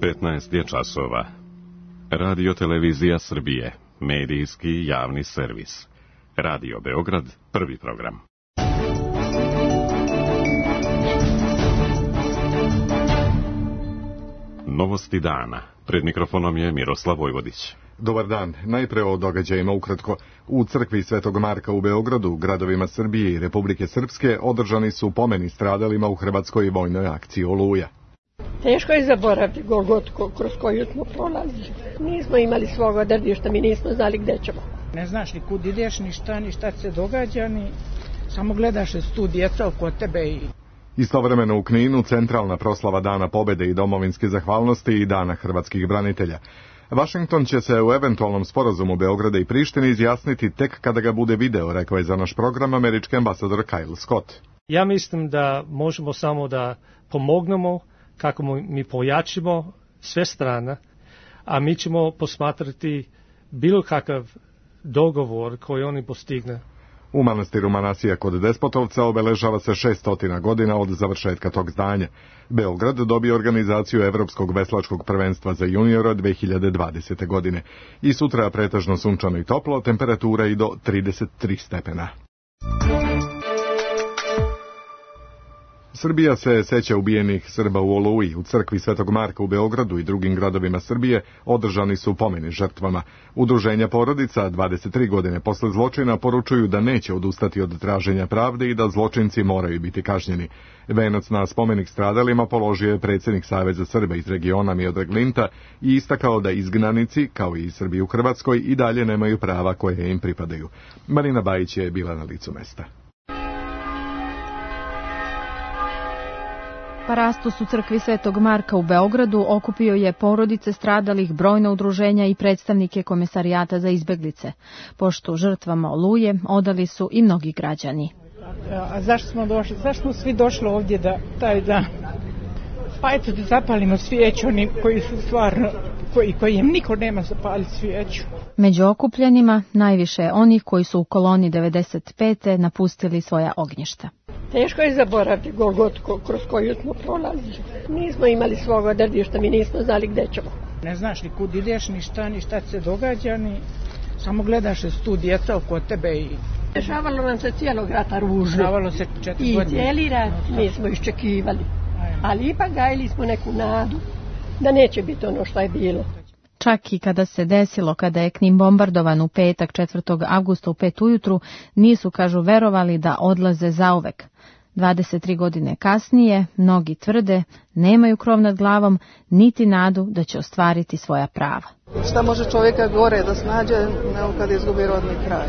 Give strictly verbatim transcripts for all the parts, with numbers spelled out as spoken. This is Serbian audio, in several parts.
petnaest je časova. Radio Televizija Srbije, medijski javni servis. Radio Beograd, prvi program. Novosti dana. Pred mikrofonom je Miroslav Vojvodić. Dobar dan. Najpre o događajima ukratko. U crkvi Svetog Marka u Beogradu, gradovima Srbije i Republike Srpske održani su pomeni stradalima u hrvatskoj vojnoj akciji Oluja. Teško je zaboraviti Golgotku kroz koju smo prolazili. Nismo imali svog odredišta, mi nismo znali gde ćemo. Ne znaš ni kud ideš, ni šta, ni šta se događa, ni samo gledaš tu djeca oko tebe i... Istovremeno u Kninu centralna proslava Dana pobede i domovinske zahvalnosti i Dana hrvatskih branitelja. Vašington će se u eventualnom sporazumu Beograda i Prištine izjasniti tek kada ga bude video, rekao je za naš program američki ambasador Kyle Scott. Ja mislim da možemo samo da pomognemo kako mi pojačimo sve strane, a mi ćemo posmatrati bilo kakav dogovor koji oni postigne. U manastiru Manasija kod Despotovca obeležava se šeststotina godina od završetka tog zdanja. Beograd dobije organizaciju Evropskog veslačkog prvenstva za juniora dve hiljade dvadesete. godine. I sutra pretežno sunčano i toplo, temperatura i do trideset tri stepena. Srbija se seća ubijenih Srba u Oluji. U crkvi Svetog Marka u Beogradu i drugim gradovima Srbije održani su pomeni žrtvama. Udruženja porodica dvadeset tri godine posle zločina poručuju da neće odustati od traženja pravde i da zločinci moraju biti kažnjeni. Venac na spomenik stradalima položio je predsjednik Saveza Srba iz regiona Miodrag Linta i istakao da izgnanici, kao i Srbi u Hrvatskoj, i dalje nemaju prava koje im pripadaju. Marina Bajić je bila na licu mesta. Parastos u crkvi Svetog Marka u Beogradu okupio je porodice stradalih, brojna udruženja i predstavnike Komesarijata za izbeglice. Pošto žrtvama Oluje odali su i mnogi građani. A zašto smo došli? Zašto smo svi došli ovdje da taj dan? Pa eto da zapalimo svijeću, oni koji su stvarno, koji, koji im niko nema zapaliti svijeću. Među okupljenima najviše je onih koji su u koloni devedeset pete napustili svoja ognjišta. Teško je zaboraviti Golgotku kroz koju smo prolazili. Nismo imali svog odredišta, mi nismo znali gde ćemo. Ne znaš ni kud ideš, ni šta, ni šta se događa, ni samo gledaš tu djeca oko tebe i... Dešavalo nam se cijelog rata ružno. Dešavalo se četiri I godine. cijeli rat mi smo iščekivali. Ali ipak gajili smo neku nadu da neće biti ono što je bilo. Čak i kada se desilo, kada je Knin bombardovan u petak četvrtog avgusta u pet ujutru, nisu, kažu, verovali da odlaze zauvek. dvadeset tri godine kasnije, mnogi tvrde, nemaju krov nad glavom, niti nadu da će ostvariti svoja prava. Šta može čovjeka gore da snađe, nego kad izgubi rodni kraj?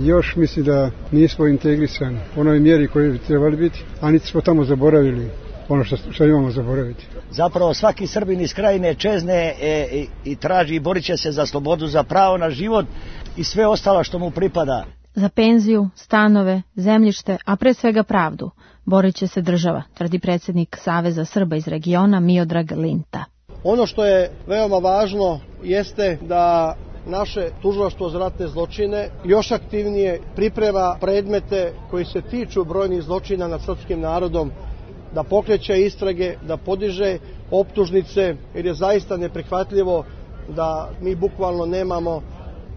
Još misli da nismo integrisani u onoj mjeri koji bi trebali biti, a niti smo tamo zaboravili ono što, što imamo zaboraviti. Zapravo svaki Srbin iz Krajine čezne e, i, i traži i borit će se za slobodu, za pravo na život i sve ostalo što mu pripada. Za penziju, stanove, zemljište, a pre svega pravdu, borit će se država, tvrdi predsjednik Saveza Srba iz regiona Miodrag Linta. Ono što je veoma važno jeste da naše tužilaštvo za ratne zločine još aktivnije priprema predmete koji se tiču brojnih zločina nad srpskim narodom, da pokreće istrage, da podiže optužnice, jer je zaista neprihvatljivo da mi bukvalno nemamo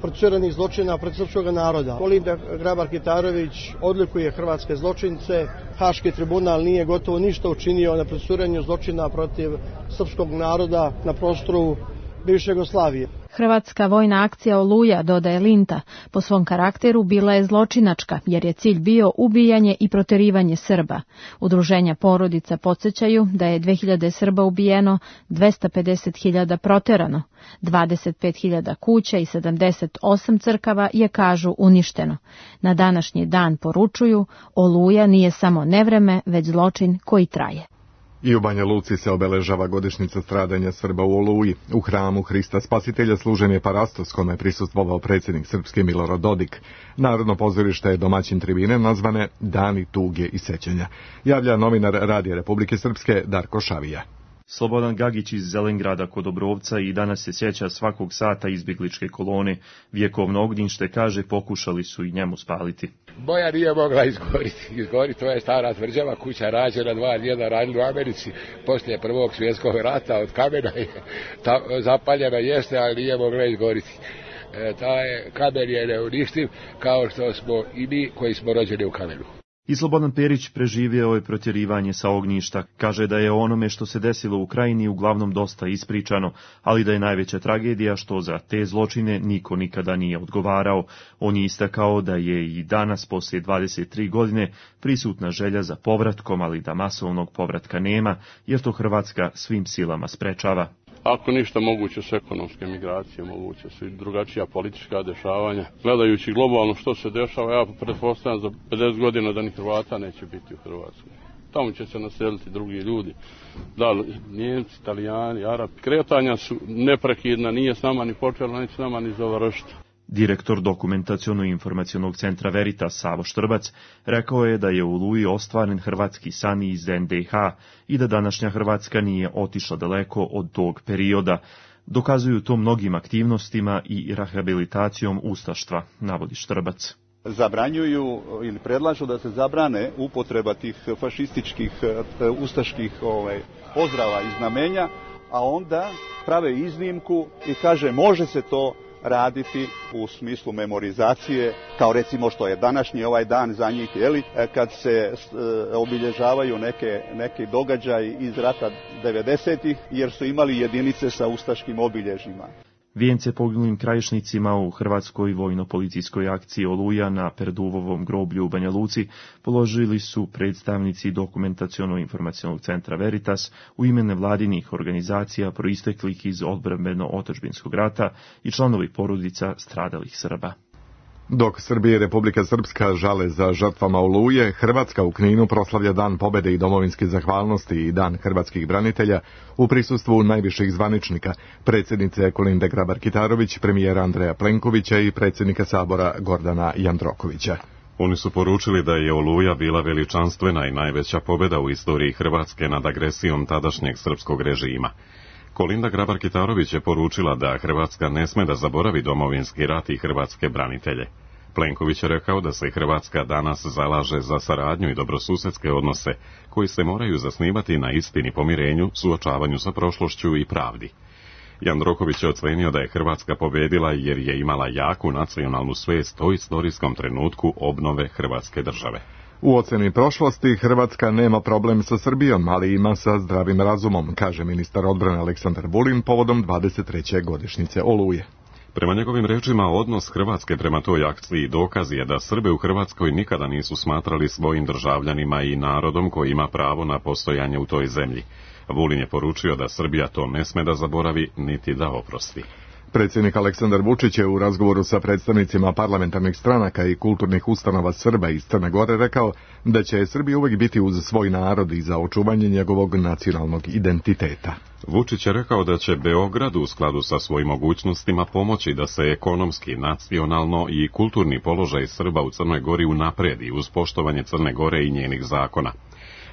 procesuiranih zločina protiv srpskog naroda. Kolinda Grabar-Kitarović odlikuje hrvatske zločince, Haški tribunal nije gotovo ništa učinio na procesuiranju zločina protiv srpskog naroda na prostoru bivše Jugoslavije. Hrvatska vojna akcija Oluja, dodaje Linta, po svom karakteru bila je zločinačka, jer je cilj bio ubijanje i proterivanje Srba. Udruženja porodica podsjećaju da je dve hiljade Srba ubijeno, dvesta pedeset hiljada proterano, dvadeset pet hiljada kuća i sedamdeset osam crkava je, kažu, uništeno. Na današnji dan poručuju, Oluja nije samo nevreme, već zločin koji traje. I u Banja Luci se obeležava godišnjica stradanja Srba u Oluji. U hramu Hrista Spasitelja služen je parastos kome je prisustvovao predsjednik Srpske Milorad Dodik. Narodno pozorište je domaćin tribine nazvane Dani tuge i sećanja. Javlja novinar Radija Republike Srpske Darko Šavija. Slobodan Gagić iz Zelengrada kod Obrovca i danas se sjeća svakog sata izbjegličke kolone. Vjekovno ognjište, kaže, pokušali su i njemu spaliti. Moja nije mogla izgoriti. Izgoriti, to je stara tvrđava kuća rađena dva djeda radili u Americi poslije prvog svjetskog rata, od kamena je ta, zapaljena jeste, ali nije mogla izgoriti. E, taj kamen je neuništiv, kao što smo i mi koji smo rođeni u kamenu. I Slobodan Perić preživio je protjerivanje sa ognjišta. Kaže da je o onome što se desilo u Krajini uglavnom dosta ispričano, ali da je najveća tragedija što za te zločine niko nikada nije odgovarao. On je istakao da je i danas, poslije dvadeset tri godine, prisutna želja za povratkom, ali da masovnog povratka nema, jer to Hrvatska svim silama sprečava. Ako ništa, moguće su ekonomske migracije, moguće su i drugačija politička dešavanja. Gledajući globalno što se dešava, ja pretpostavljam za pedeset godina da ni Hrvata neće biti u Hrvatskoj. Tamo će se naseliti drugi ljudi, da li Njemci, Italijani, Arapi. Kretanja su neprekidna, nije s nama ni počela, neće s nama ni završiti. Direktor dokumentaciono-informacionog centra Veritas Savo Štrbac rekao je da je u Oluji ostvaren hrvatski san iz en de ha i da današnja Hrvatska nije otišla daleko od tog perioda. Dokazuju to mnogim aktivnostima i rehabilitacijom ustaštva, navodi Štrbac. Zabranjuju ili predlažu da se zabrane upotreba tih fašističkih, ustaških ovaj, pozdrava i znamenja, a onda prave iznimku i kaže može se to raditi u smislu memorizacije, kao recimo što je današnji ovaj dan za njih, jeli, kad se e, obilježavaju neke, neki događaji iz rata devedesetih, jer su imali jedinice sa ustaškim obilježjima. Vijence poginulim krajišnicima u hrvatskoj vojno-policijskoj akciji Oluja na Perduvovom groblju u Banja Luci položili su predstavnici dokumentaciono-informacionog centra Veritas u ime nevladinih organizacija proisteklih iz odbrambeno-otadžbinskog rata i članovi porodica stradalih Srba. Dok Srbija i Republika Srpska žale za žrtvama Oluje, Hrvatska u Kninu proslavlja Dan pobjede i domovinske zahvalnosti i Dan hrvatskih branitelja u prisustvu najviših zvaničnika, predsjednice Kolinde Grabar-Kitarović, premijera Andreja Plenkovića i predsjednika Sabora Gordana Jandrokovića. Oni su poručili da je Oluja bila veličanstvena i najveća pobjeda u istoriji Hrvatske nad agresijom tadašnjeg srpskog režima. Kolinda Grabar-Kitarović je poručila da Hrvatska ne sme da zaboravi domovinski rat i hrvatske branitelje. Plenković je rekao da se Hrvatska danas zalaže za saradnju i dobrosusedske odnose, koji se moraju zasnivati na istini, pomirenju, suočavanju sa prošlošću i pravdi. Jandroković je ocenio da je Hrvatska pobjedila jer je imala jaku nacionalnu svijest o istorijskom trenutku obnove Hrvatske države. U oceni prošlosti Hrvatska nema problem sa Srbijom, ali ima sa zdravim razumom, kaže ministar odbrane Aleksandar Vulin povodom dvadeset treće godišnjice Oluje. Prema njegovim rečima, odnos Hrvatske prema toj akciji dokaz je da Srbe u Hrvatskoj nikada nisu smatrali svojim državljanima i narodom koji ima pravo na postojanje u toj zemlji. Vulin je poručio da Srbija to ne sme da zaboravi niti da oprosti. Predsjednik Aleksandar Vučić je u razgovoru sa predstavnicima parlamentarnih stranaka i kulturnih ustanova Srba iz Crne Gore rekao da će Srbija uvijek biti uz svoj narod i za očuvanje njegovog nacionalnog identiteta. Vučić je rekao da će Beograd u skladu sa svojim mogućnostima pomoći da se ekonomski, nacionalno i kulturni položaj Srba u Crnoj Gori unapredi uz poštovanje Crne Gore i njenih zakona.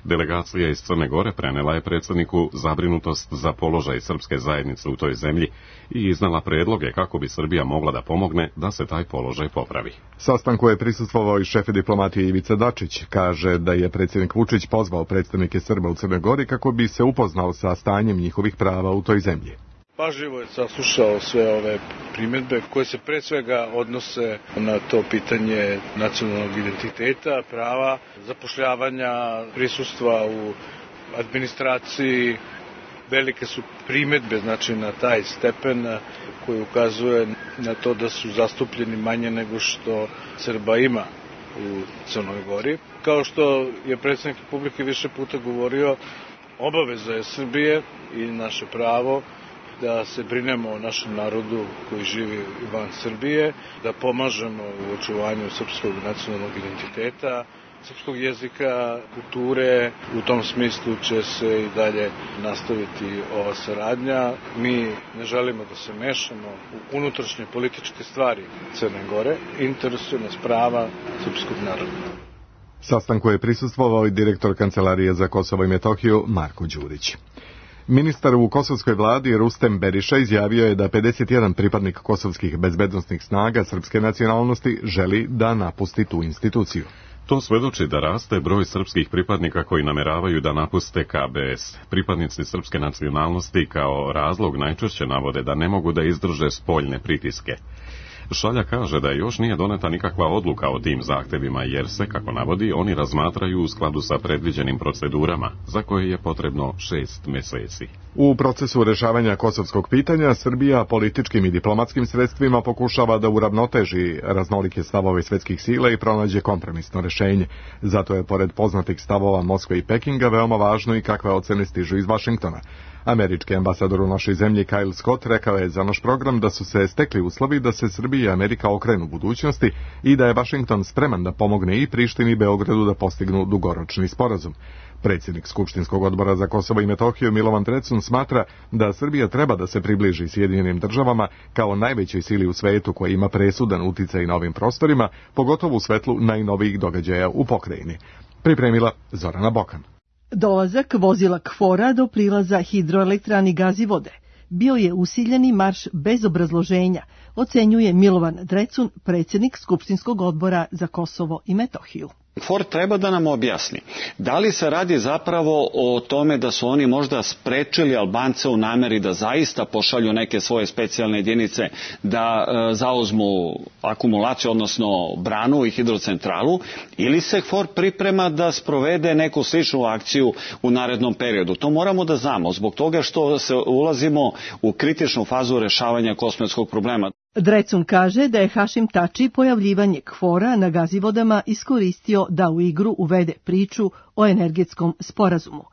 Delegacija iz Crne Gore prenela je predsjedniku zabrinutost za položaj srpske zajednice u toj zemlji i iznala predloge kako bi Srbija mogla da pomogne da se taj položaj popravi. Sastanku je prisustvovao i šef diplomatije Ivica Dačić. Kaže da je predsjednik Vučić pozvao predstavnike Srba u Crnoj Gori kako bi se upoznao sa stanjem njihovih prava u toj zemlji. Pažljivo je saslušao sve ove primjedbe koje se pre svega odnose na to pitanje nacionalnog identiteta, prava, zapošljavanja, prisustva u administraciji. Velike su primjedbe, znači, na taj stepen koji ukazuje na to da su zastupljeni manje nego što Srba ima u Crnoj Gori. Kao što je predsjednik Republike više puta govorio, obaveza je Srbije i naše pravo da se brinemo o našem narodu koji živi van Srbije, da pomažemo u očuvanju srpskog nacionalnog identiteta, srpskog jezika, kulture. U tom smislu će se i dalje nastaviti ova saradnja. Mi ne želimo da se mešamo u unutrašnje političke stvari Crne Gore. Interesuje nas prava srpskog naroda. Sastanku je prisustvovao i direktor Kancelarije za Kosovo i Metohiju Marko Đurić. Ministar u kosovskoj vladi Rustem Beriša izjavio je da pedeset jedan pripadnik kosovskih bezbednosnih snaga srpske nacionalnosti želi da napusti tu instituciju. To svedoči da raste broj srpskih pripadnika koji nameravaju da napuste K B S. Pripadnici srpske nacionalnosti kao razlog najčešće navode da ne mogu da izdrže spoljne pritiske. Šalja kaže da još nije doneta nikakva odluka o tim zahtevima jer se, kako navodi, oni razmatraju u skladu sa predviđenim procedurama, za koje je potrebno šest meseci. U procesu rešavanja kosovskog pitanja, Srbija političkim i diplomatskim sredstvima pokušava da uravnoteži raznolike stavove svetskih sila i pronađe kompromisno rešenje. Zato je, pored poznatih stavova Moskve i Pekinga, veoma važno i kakve ocene stižu iz Vašingtona. Američki ambasador u našoj zemlji Kyle Scott rekao je za naš program da su se stekli uslovi da se Srbija i Amerika okrenu budućnosti i da je Vašington spreman da pomogne i Prištini i Beogradu da postignu dugoročni sporazum. Predsjednik Skupštinskog odbora za Kosovo i Metohiju Milovan Drecun smatra da Srbija treba da se približi Sjedinjenim državama kao najvećoj sili u svetu koja ima presudan uticaj na ovim prostorima, pogotovo u svetlu najnovijih događaja u pokrajini. Pripremila Zorana Bokan. Dolazak vozila KFOR-a do prilaza hidroelektrani Gazivode bio je usiljeni marš bez obrazloženja, ocenjuje Milovan Drecun, predsjednik Skupštinskog odbora za Kosovo i Metohiju. KFOR treba da nam objasni da li se radi zapravo o tome da su oni možda sprečili Albance u nameri da zaista pošalju neke svoje specijalne jedinice da e, zauzmu akumulaciju, odnosno branu i hidrocentralu, ili se KFOR priprema da sprovede neku sličnu akciju u narednom periodu. To moramo da znamo zbog toga što se ulazimo u kritičnu fazu rešavanja kosmetskog problema. Drecun kaže da je Hašim Tači pojavljivanje KFOR-a na Gazivodama iskoristio da u igru uvede priču o energetskom sporazumu.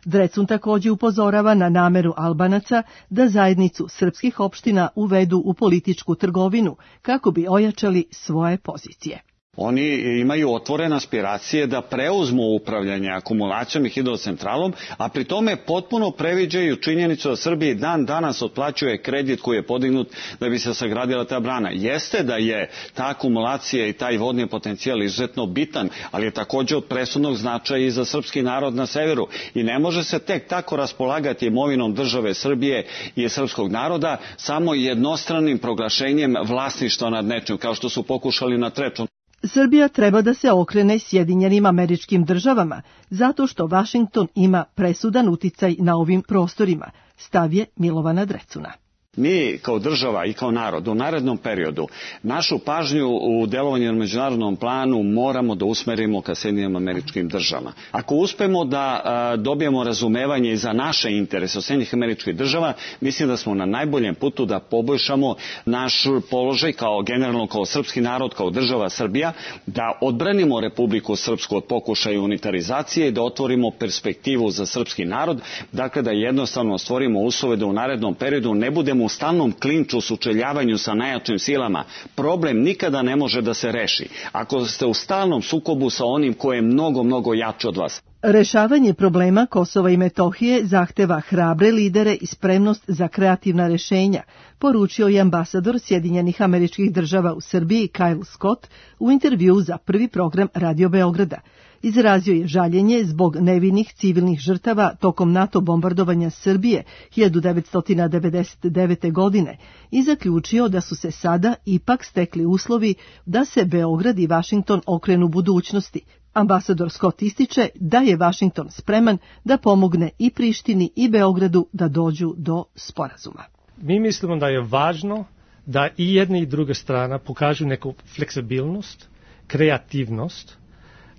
Drecun također upozorava na nameru Albanaca da zajednicu srpskih opština uvedu u političku trgovinu kako bi ojačali svoje pozicije. Oni imaju otvorene aspiracije da preuzmu upravljanje akumulacijom i hidrocentralom, a pri tome potpuno previđaju činjenicu da Srbiji dan danas otplaćuje kredit koji je podignut da bi se sagradila ta brana. Jeste da je ta akumulacija i taj vodni potencijal izuzetno bitan, ali je također od presudnog značaja i za srpski narod na severu. I ne može se tek tako raspolagati imovinom države Srbije i srpskog naroda samo jednostranim proglašenjem vlasništva nad nečim, kao što su pokušali na Treču. Srbija treba da se okrene Sjedinjenim Američkim Državama, zato što Vašington ima presudan uticaj na ovim prostorima, stav je Milovana Drecuna. Mi kao država i kao narod u narednom periodu našu pažnju u delovanju na međunarodnom planu moramo da usmerimo ka Sjedinjenim Američkim Državama. Ako uspemo da a, dobijemo razumevanje i za naše interese od Sjedinjenih Američkih Država, mislim da smo na najboljem putu da poboljšamo naš položaj kao generalno kao srpski narod, kao država Srbija, da odbranimo Republiku Srpsku od pokušaja unitarizacije i da otvorimo perspektivu za srpski narod, dakle da jednostavno stvorimo uslove da u narednom periodu ne budemo u stalnom klinču, sučeljavanju sa najjačim silama. Problem nikada ne može da se reši ako ste u stalnom sukobu sa onim koje je mnogo, mnogo jače od vas. Rešavanje problema Kosova i Metohije zahteva hrabre lidere i spremnost za kreativna rešenja, poručio je ambasador Sjedinjenih Američkih Država u Srbiji Kyle Scott u intervjuu za prvi program Radio Beograda. Izrazio je žaljenje zbog nevinih civilnih žrtava tokom NATO bombardovanja Srbije hiljadu devetsto devedeset devete. godine i zaključio da su se sada ipak stekli uslovi da se Beograd i Vašington okrenu budućnosti. Ambasador Scott ističe da je Vašington spreman da pomogne i Prištini i Beogradu da dođu do sporazuma. Mi mislimo da je važno da i jedna i druga strana pokažu neku fleksibilnost, kreativnost,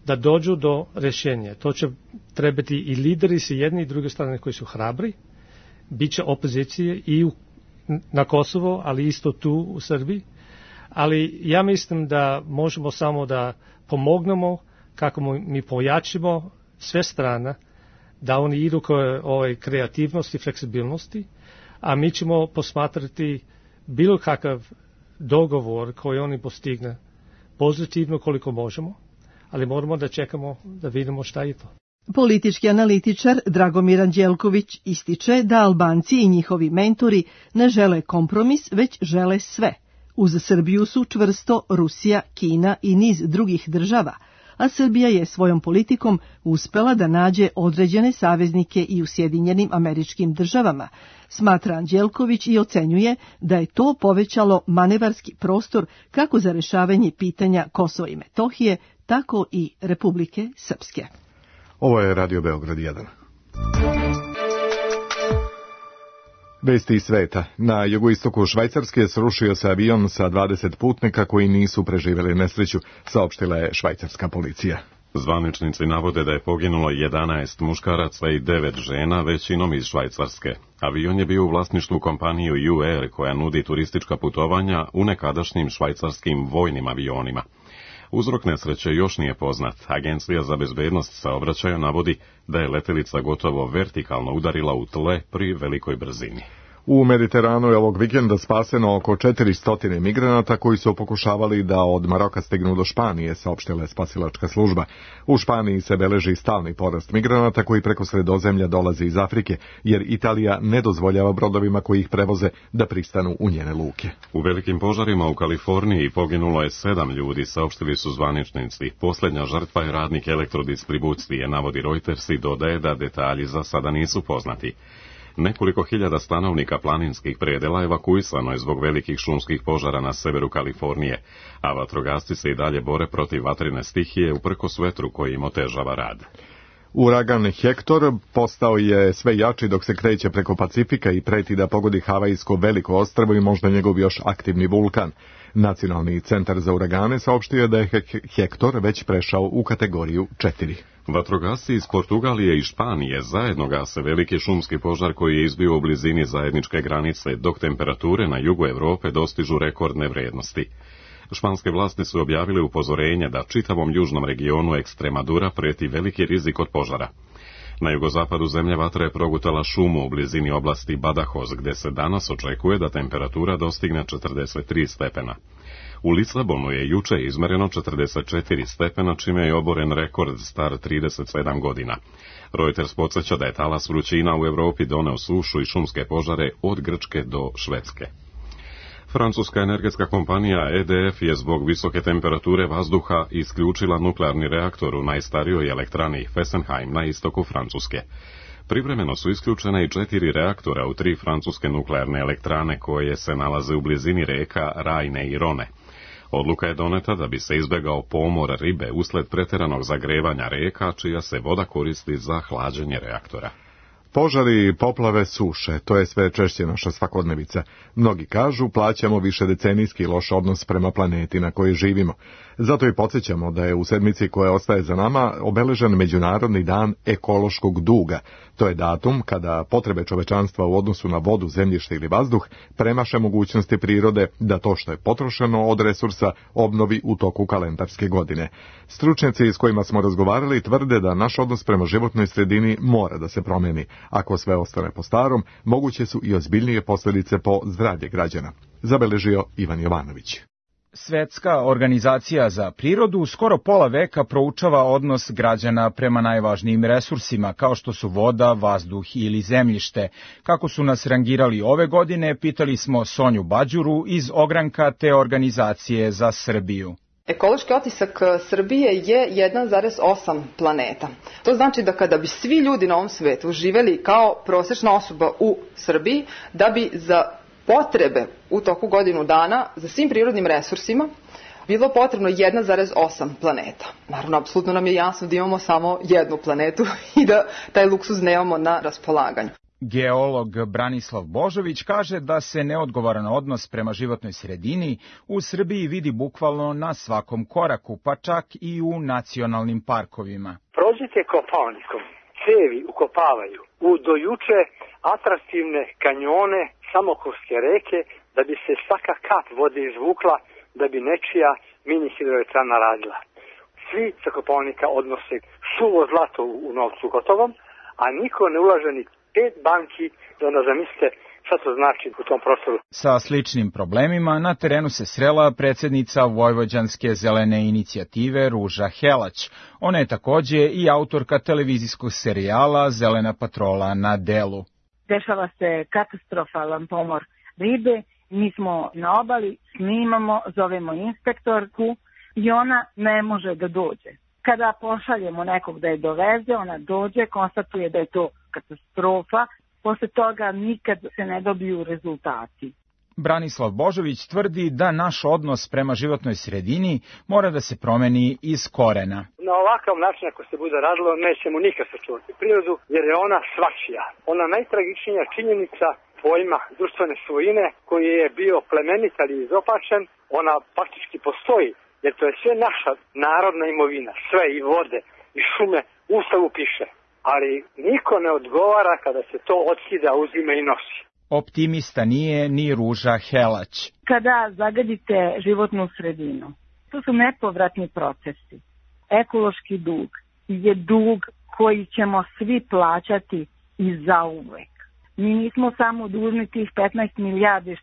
da dođu do rješenja. To će trebati i lideri sa jedne i druge strane koji su hrabri, bit će opozicije i u, na Kosovo, ali isto tu u Srbiji. Ali ja mislim da možemo samo da pomognemo kako mi pojačimo sve strane, da oni idu koje ove kreativnosti i fleksibilnosti, a mi ćemo posmatrati bilo kakav dogovor koji oni postigne pozitivno koliko možemo, ali moramo da čekamo da vidimo šta je to. Politički analitičar Dragomir Anđelković ističe da Albanci i njihovi mentori ne žele kompromis, već žele sve. Uz Srbiju su čvrsto Rusija, Kina i niz drugih država, a Srbija je svojom politikom uspela da nađe određene saveznike i u Sjedinjenim Američkim Državama, smatra Anđelković i ocenjuje da je to povećalo manevarski prostor kako za rešavanje pitanja Kosova i Metohije, tako i Republike Srpske. Ovo je Radio Beograd jedan. Vesti iz sveta. Na jugoistoku Švajcarske srušio se avion sa dvadeset putnika koji nisu preživjeli nesreću, saopštila je švajcarska policija. Zvaničnici navode da je poginulo jedanaest muškaraca i devet žena, većinom iz Švajcarske. Avion je bio u vlasništvu kompaniju U Air koja nudi turistička putovanja u nekadašnjim švajcarskim vojnim avionima. Uzrok nesreće još nije poznat. Agencija za bezbednost saobraćaja navodi da je letelica gotovo vertikalno udarila u tle pri velikoj brzini. U Mediteranu je ovog vikenda spaseno oko četiristo migranata koji su pokušavali da od Maroka stignu do Španije, saopštila je spasilačka služba. U Španiji se beleži stalni porast migranata koji preko Sredozemlja dolaze iz Afrike, jer Italija ne dozvoljava brodovima koji ih prevoze da pristanu u njene luke. U velikim požarima u Kaliforniji poginulo je sedam ljudi, saopštili su zvaničnici. Posljednja žrtva je radnik elektrodistribucije, navodi Reuters i dodaje da detalji za sada nisu poznati. Nekoliko hiljada stanovnika planinskih predela evakuisano je zbog velikih šumskih požara na severu Kalifornije, a vatrogasci se i dalje bore protiv vatrene stihije uprkos vetru koji im otežava rad. Uragan Hektor postao je sve jači dok se kreće preko Pacifika i preti da pogodi Havajsko veliko ostrvo i možda njegov još aktivni vulkan. Nacionalni centar za uragane saopštio da je Hektor već prešao u kategoriju četiri. Vatrogasci iz Portugalije i Španije zajedno gase veliki šumski požar koji je izbio u blizini zajedničke granice, dok temperature na jugu Evrope dostižu rekordne vrednosti. Španske vlasti su objavile upozorenje da čitavom južnom regionu Ekstremadura preti veliki rizik od požara. Na jugozapadu zemlje vatra je progutala šumu u blizini oblasti Badajoz, gde se danas očekuje da temperatura dostigne četrdeset tri stepena. U Lisabonu je juče izmereno četrdeset četiri stepena, čime je oboren rekord star trideset sedam godina. Reuters podsjeća da je talas vrućina u Evropi doneo sušu i šumske požare od Grčke do Švedske. Francuska energetska kompanija E D F je zbog visoke temperature vazduha isključila nuklearni reaktor u najstarijoj elektrani Fessenheim na istoku Francuske. Privremeno su isključene i četiri reaktora u tri francuske nuklearne elektrane koje se nalaze u blizini reka Rajne i Rone. Odluka je doneta da bi se izbegao pomor ribe usled pretjeranog zagrevanja reka, čija se voda koristi za hlađenje reaktora. Požari, poplave, suše, to je sve češće naša svakodnevica. Mnogi kažu, plaćamo više decenijski loš odnos prema planeti na kojoj živimo. Zato i podsjećamo da je u sedmici koja ostaje za nama obeležen Međunarodni dan ekološkog duga. To je datum kada potrebe čovečanstva u odnosu na vodu, zemljište ili vazduh premaše mogućnosti prirode da to što je potrošeno od resursa obnovi u toku kalendarske godine. Stručnjaci s kojima smo razgovarali tvrde da naš odnos prema životnoj sredini mora da se promeni. Ako sve ostane po starom, moguće su i ozbiljnije posljedice po zdravlje građana, zabeležio Ivan Jovanović. Svetska organizacija za prirodu skoro pola veka proučava odnos građana prema najvažnijim resursima, kao što su voda, vazduh ili zemljište. Kako su nas rangirali ove godine, pitali smo Sonju Bađuru iz ogranka te organizacije za Srbiju. Ekološki otisak Srbije je jedan zarez osam planeta. To znači da kada bi svi ljudi na ovom svetu živeli kao prosječna osoba u Srbiji, da bi za potrebe u toku godinu dana za svim prirodnim resursima bilo potrebno jedan zarez osam planeta. Naravno, apsolutno nam je jasno da imamo samo jednu planetu i da taj luksuz nemamo na raspolaganju. Geolog Branislav Božović kaže da se neodgovoran odnos prema životnoj sredini u Srbiji vidi bukvalno na svakom koraku, pa čak i u nacionalnim parkovima. Prođite Kopaonikom, cevi ukopavaju u dojuče atraktivne kanjone Samokovske reke da bi se svaka kap vode izvukla, da bi nečija mini hidroelektrana radila. Svi sa Kopaonika odnose suvo zlato u novcu gotovom, a niko ne ulaže ni pet banki, da onda zamislite šta to znači u tom prostoru. Sa sličnim problemima na terenu se srela predsjednica Vojvođanske zelene inicijative Ruža Helać. Ona je takođe i autorka televizijskog serijala Zelena patrola na delu. Dešava se katastrofalan pomor ribe, mi smo na obali, snimamo, zovemo inspektorku i ona ne može da dođe. Kada pošaljemo nekog da je doveze, ona dođe, konstatuje da je to katastrofa, posle toga nikad se ne dobiju rezultati. Branislav Božović tvrdi da naš odnos prema životnoj sredini mora da se promeni iz korena. Na ovakav način ako se bude radilo nećemo nikad sačuvati prirodu jer je ona svačija. Ona najtragičnija činjenica pojma društvene svojine koji je bio plemenit ali izopačen, ona faktički postoji jer to je sve naša narodna imovina, sve i vode i šume, u Ustavu piše. Ali niko ne odgovara kada se to otkida, uzima i nosi. Optimista nije ni Ruža Helać. Kada zagadite životnu sredinu, to su nepovratni procesi. Ekološki dug je dug koji ćemo svi plaćati i zauvek. Mi nismo samo dužni tih petnaest milijardi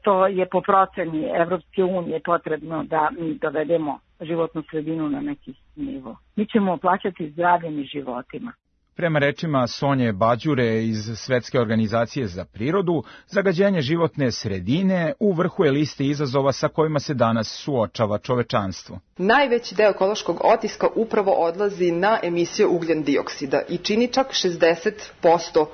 što je po proceni Evropske unije potrebno da mi dovedemo životnu sredinu na neki nivo. Mi ćemo plaćati zdravljem i životima. Prema rečima Sonje Bađure iz Svetske organizacije za prirodu, zagađenje životne sredine u vrhu je liste izazova sa kojima se danas suočava čovečanstvo. Najveći deo ekološkog otiska upravo odlazi na emisiju ugljen dioksida i čini čak šezdeset posto.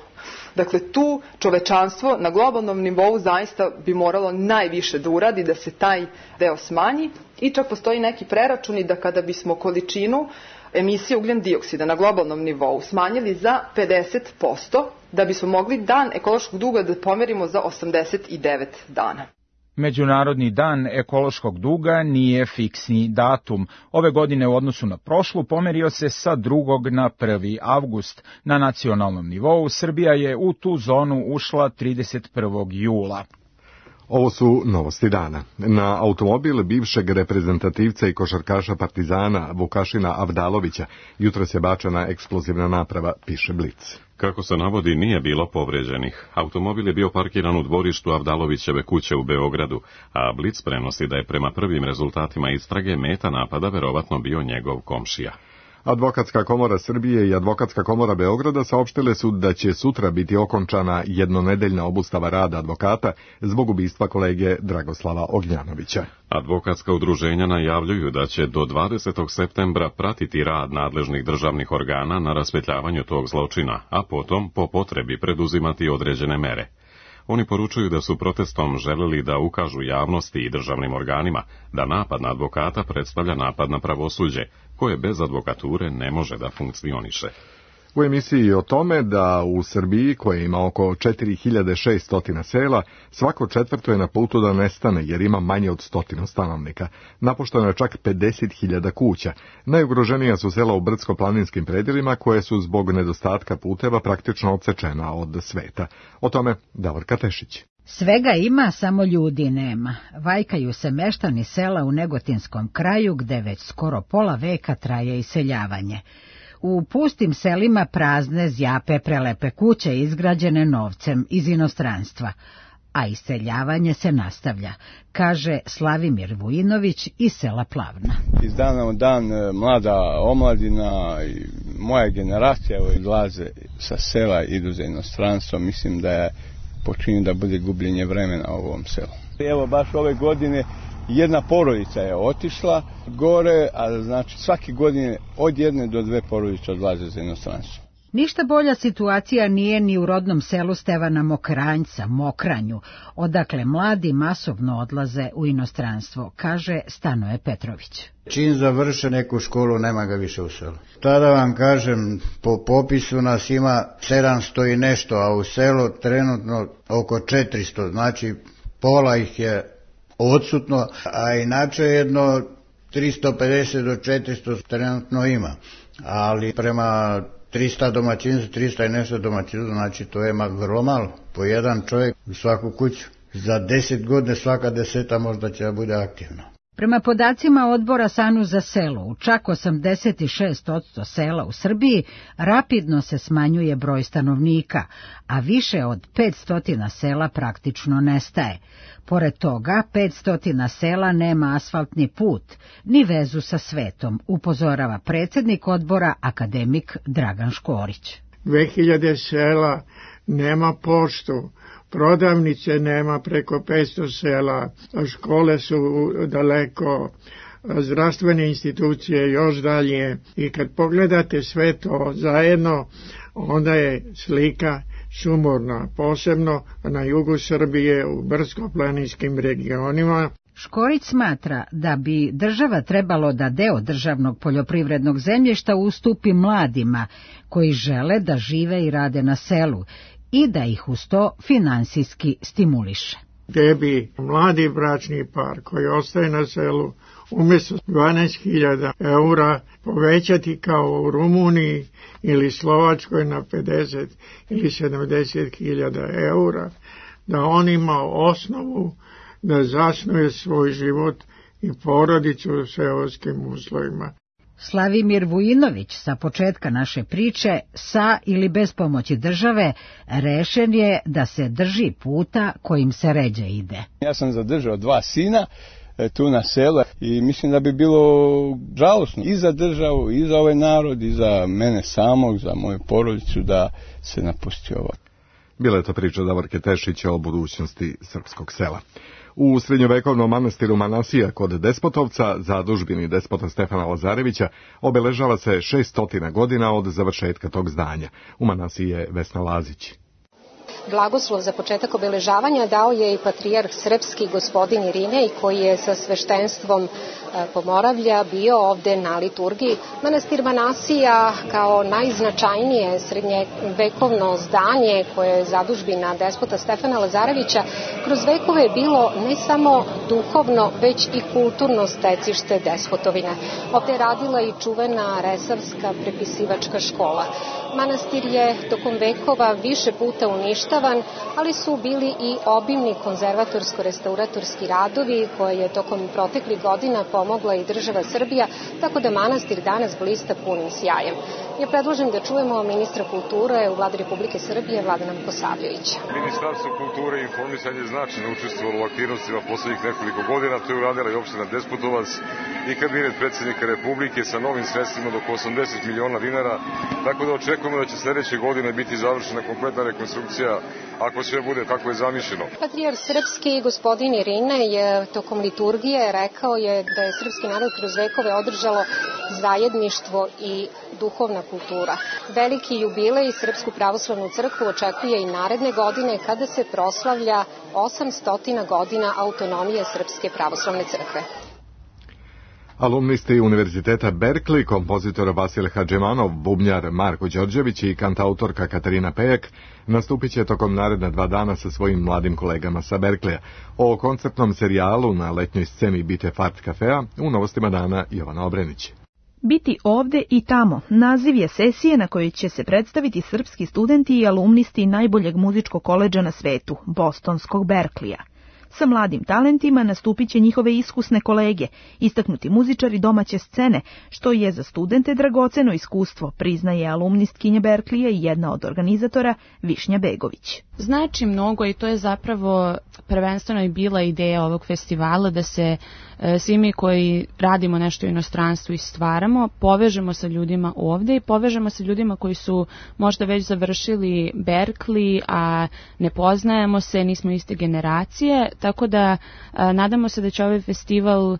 Dakle, tu čovečanstvo na globalnom nivou zaista bi moralo najviše da uradi da se taj deo smanji i čak postoji neki preračuni da kada bismo količinu emisije ugljen dioksida na globalnom nivou smanjili za pedeset posto, da bismo mogli dan ekološkog duga da pomerimo za osamdeset devet dana. Međunarodni dan ekološkog duga nije fiksni datum. Ove godine u odnosu na prošlu pomerio se sa drugog na prvi avgust. Na nacionalnom nivou Srbija je u tu zonu ušla trideset prvog jula. Ovo su novosti dana. Na automobil bivšeg reprezentativca i košarkaša Partizana Vukašina Avdalovića jutros je bačena eksplozivna naprava, piše Blic. Kako se navodi, nije bilo povređenih. Automobil je bio parkiran u dvorištu Avdalovićeve kuće u Beogradu, a Blic prenosi da je prema prvim rezultatima istrage meta napada verovatno bio njegov komšija. Advokatska komora Srbije i Advokatska komora Beograda saopštile su da će sutra biti okončana jednonedeljna obustava rada advokata zbog ubistva kolege Dragoslava Ognjanovića. Advokatska udruženja najavljuju da će do dvadesetog septembra pratiti rad nadležnih državnih organa na raspetljavanju tog zločina, a potom po potrebi preduzimati određene mere. Oni poručuju da su protestom želeli da ukažu javnosti i državnim organima da napad na advokata predstavlja napad na pravosuđe, koje bez advokature ne može da funkcioniše. U emisiji o tome da u Srbiji, koja ima oko četiri hiljade šesto sela, svako četvrto je na putu da nestane jer ima manje od stotinu stanovnika. Napušteno je čak pedeset hiljada kuća. Najugroženija su sela u brdsko-planinskim predjelima koje su zbog nedostatka puteva praktično odsečena od sveta. O tome Davorka Tešić. Svega ima, samo ljudi nema. Vajkaju se meštani sela u Negotinskom kraju gde već skoro pola veka traje iseljavanje. U pustim selima prazne zjape prelepe kuće izgrađene novcem iz inostranstva, a iseljavanje se nastavlja, kaže Slavimir Vujinović iz sela Plavna. Iz dana u dan mlada omladina i moja generacija odlaze sa sela, idu za inostranstvo, mislim da je počinju da bude gubljenje vremena u ovom selu. Evo baš ove godine jedna porodica je otišla gore, a znači svake godine od jedne do dve porodice odlaze za inostranstvo. Ništa bolja situacija nije ni u rodnom selu Stevana Mokranjca, Mokranju, odakle mladi masovno odlaze u inostranstvo, kaže Stanoje Petrović. Čim završe neku školu, nema ga više u selu. Tada vam kažem, po popisu nas ima sedamsto i nešto, a u selu trenutno oko četiristo, znači pola ih je odsutno, a inače jedno tristo pedeset do četiristo trenutno ima, ali prema trista domaćinstva, trista i nešto domaćinstva, znači to je vrlo malo, po jedan čovjek u svaku kuću. Za deset godina svaka deseta možda će da bude aktivna. Prema podacima odbora Sanu za selo, u čak osamdeset šest posto sela u Srbiji rapidno se smanjuje broj stanovnika, a više od petsto sela praktično nestaje. Pored toga, petsto sela nema asfaltni put, ni vezu sa svetom, upozorava predsjednik odbora akademik Dragan Škorić. dve hiljade sela nema poštu, prodavnice nema preko petsto sela, škole su daleko, zdravstvene institucije još dalje i kad pogledate sve to zajedno, onda je slika sumorna, posebno na jugu Srbije u brdsko-planinskim regionima. Škorić smatra da bi država trebalo da deo državnog poljoprivrednog zemljišta ustupi mladima koji žele da žive i rade na selu i da ih uz to finansijski stimuliše. Gde bi mladi bračni par koji ostaje na selu umjesto dvanaest hiljada eura povećati kao u Rumuniji ili Slovačkoj na pedeset ili sedamdeset hiljada eura, da on ima osnovu da zasnuje svoj život i porodicu u seoskim uslovima. Slavimir Vujinović sa početka naše priče, sa ili bez pomoći države, rešen je da se drži puta kojim se ređe ide. Ja sam zadržao dva sina tu na selu i mislim da bi bilo žalosno i za državu, i za ovaj narod, i za mene samog, za moju porodicu da se napusti ovo. Bila je to priča Davorke Tešića o budućnosti srpskog sela. U srednjovekovnom manastiru Manasija kod Despotovca, zadužbini despota Stefana Lazarevića, obeležava se šeststotina godina od završetka tog zdanja. U Manasiji je Vesna Lazić. Blagoslov za početak obeležavanja dao je i patrijarh srpski gospodin Irinej, koji je sa sveštenstvom Pomoravlja bio ovde na liturgiji. Manastir Manasija kao najznačajnije srednjevekovno zdanje koje je zadužbina despota Stefana Lazarevića kroz vekove je bilo ne samo duhovno, već i kulturno stecište despotovine. Ovde je radila i čuvena resavska prepisivačka škola. Manastir je tokom vekova više puta uništavan, ali su bili i obimni konzervatorsko-restauratorski radovi koje je tokom proteklih godina pomogla i država Srbija, tako da manastir danas blista punim sjajem. Ja predlažem da čujemo ministra kulture u Vladi Republike Srbije, Vladana Vukosavljevića. Ministarstvo kulture i informisanja značajno učestvovalo u aktivnostima poslednjih nekoliko godina, to je uradila i opština Despotovac i kabinet predsjednika Republike sa novim sredstvima do oko osamdeset miliona dinara, tako da očekujemo da će sledeće godine biti završena kompletna rekonstrukcija ako sve bude kako je zamišljeno. Patrijarh srpski gospodin Irinej je tokom liturgije rekao je da je srpski narod kroz vekove održalo zajedništvo i duhovna kultura. Veliki jubilej Srpsku pravoslavnu crkvu očekuje i naredne godine kada se proslavlja osamstotina godina autonomije Srpske pravoslavne crkve. Alumnisti Univerziteta Berkeley, kompozitor Vasil Hadžemanov, bubnjar Marko Đorđević i kantautorka Katarina Pejak nastupit će tokom naredna dva dana sa svojim mladim kolegama sa Berkleya. O koncertnom serijalu na letnjoj sceni Bite Fart kafea u Novostima dana Jovana Obrenić. Biti ovde i tamo naziv je sesije na kojoj će se predstaviti srpski studenti i alumnisti najboljeg muzičkog koledža na svetu, bostonskog Berkleya. Sa mladim talentima nastupit će njihove iskusne kolege, istaknuti muzičari domaće scene, što je za studente dragoceno iskustvo, priznaje alumnistkinja Berkleya i jedna od organizatora Višnja Begović. Znači mnogo i to je zapravo prvenstveno i bila ideja ovog festivala da se e, svi mi koji radimo nešto u inostranstvu i stvaramo, povežemo sa ljudima ovde i povežemo sa ljudima koji su možda već završili Berkeley, a ne poznajemo se, nismo iste generacije, tako da a, nadamo se da će ovaj festival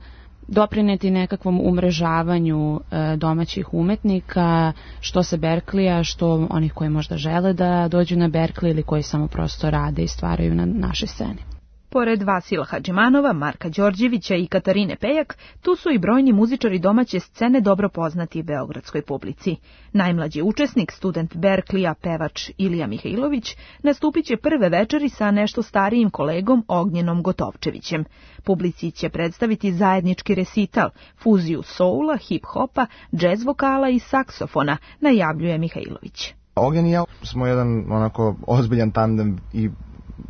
doprineti nekakvom umrežavanju e, domaćih umetnika, što sa Berkleya, što onih koji možda žele da dođu na Berkeley ili koji samo prosto rade i stvaraju na našoj sceni. Pored Vasila Hadžimanova, Marka Đorđevića i Katarine Pejak, tu su i brojni muzičari domaće scene dobro poznati beogradskoj publici. Najmlađi učesnik, student Berkleya, pevač Ilija Mihajlović, nastupit će prve večeri sa nešto starijim kolegom Ognjenom Gotovčevićem. Publici će predstaviti zajednički resital, fuziju soula, hip-hopa, džez vokala i saksofona, najavljuje Mihajlović. Ognjen i ja smo jedan onako ozbiljan tandem i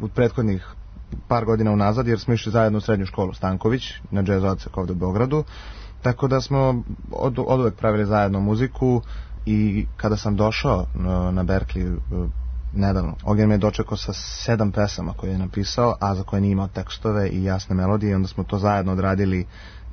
od prethodnih par godina unazad, jer smo išli zajedno u srednju školu Stanković na džez odsek ovde u Beogradu, tako da smo od, od uvek pravili zajedno muziku i kada sam došao na, na Berkeley nedavno, Ognjen me je dočekao sa sedam pesama koje je napisao, a za koje nije imao tekstove i jasne melodije, i onda smo to zajedno odradili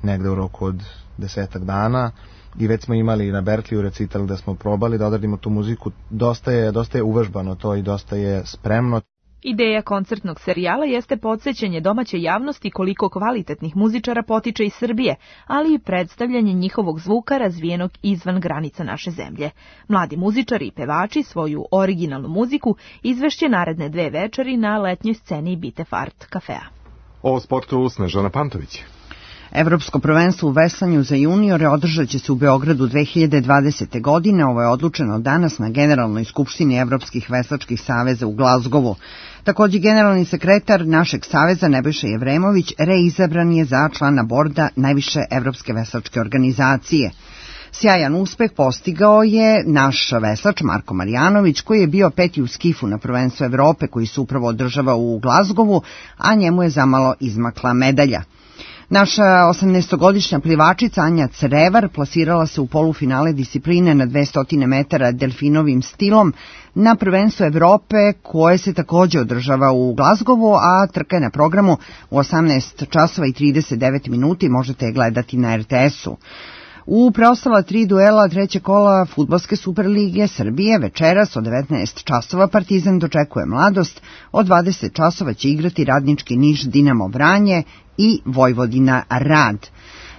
negde u roku od desetak dana i već smo imali na Berkeleyu recital da smo probali da odradimo tu muziku. Dosta je, dosta je uvežbano to i dosta je spremno. Ideja koncertnog serijala jeste podsjećanje domaće javnosti koliko kvalitetnih muzičara potiče iz Srbije, ali i predstavljanje njihovog zvuka razvijenog izvan granica naše zemlje. Mladi muzičari i pevači svoju originalnu muziku izvešće naredne dve večeri na letnjoj sceni Bitefart kafea. O sportu Snežana Pantović. Evropsko prvenstvo u veslanju za juniore održat će se u Beogradu dve hiljade dvadesete. godine. Ovo je odlučeno danas na Generalnoj skupštini Evropskih veslačkih saveza u Glazgovu. Takođe, generalni sekretar našeg saveza Nebojša Jevremović reizabran je za člana borda najviše evropske veslačke organizacije. Sjajan uspeh postigao je naš veslač Marko Marjanović, koji je bio peti u skifu na prvenstvu Evrope koji se upravo održava u Glazgovu, a njemu je zamalo izmakla medalja. Naša osamnaestogodišnja plivačica Anja Crevar plasirala se u polufinale discipline na dvesta metara delfinovim stilom na prvenstvu Evrope koje se takođe održava u Glazgovu, a trka je na programu u osamnaest časova i trideset devet minuta, možete je gledati na er te esu. U preostala tri duela treće kola Fudbalske superlige Srbije večeras od devetnaest časova Partizan dočekuje Mladost, od dvadeset časova će igrati Radnički Niš Dinamo Vranje i Vojvodina Rad.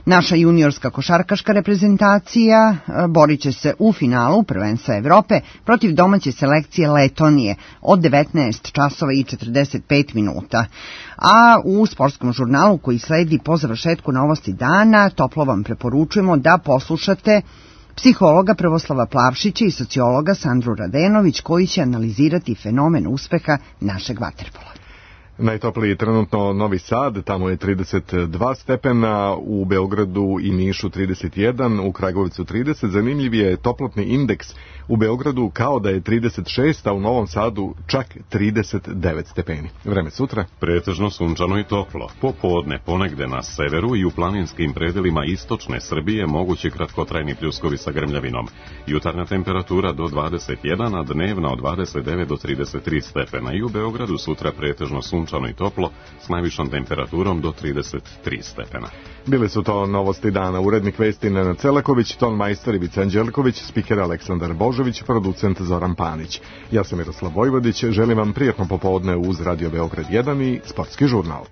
Naša juniorska košarkaška reprezentacija borit će se u finalu prvenstva Evrope protiv domaće selekcije Letonije od devetnaest časova i četrdeset pet minuta. A u sportskom žurnalu koji sledi po završetku novosti dana toplo vam preporučujemo da poslušate psihologa Prvoslava Plavšića i sociologa Sandru Radenović koji će analizirati fenomen uspeha našeg vaterpola. Najtopliji trenutno Novi Sad, tamo je trideset dva stepena, u Beogradu i Nišu trideset jedan, u Kragujevcu trideset. Zanimljiv je toplotni indeks u Beogradu kao da je trideset šest, a u Novom Sadu čak trideset devet stepeni. Vreme sutra? Pretežno sunčano i toplo. Popodne ponegde na severu i u planinskim predelima istočne Srbije mogući kratkotrajni pljuskovi sa grmljavinom. Jutarnja temperatura do dvadeset jedan, a dnevna od dvadeset devet do trideset tri stepena. I u Beogradu sutra pretežno sunčano i toplo s najvišom temperaturom do trideset tri stepena. Bili su to novosti dana. Urednik vesti Nenad Celaković, ton majstor Ivica Anđelković, spiker Aleksandar Božović, producent Zoran Panić. Ja sam Miroslav Vojvodić, želim vam prijatno popodne uz Radio Beograd jedan i Sportski žurnal.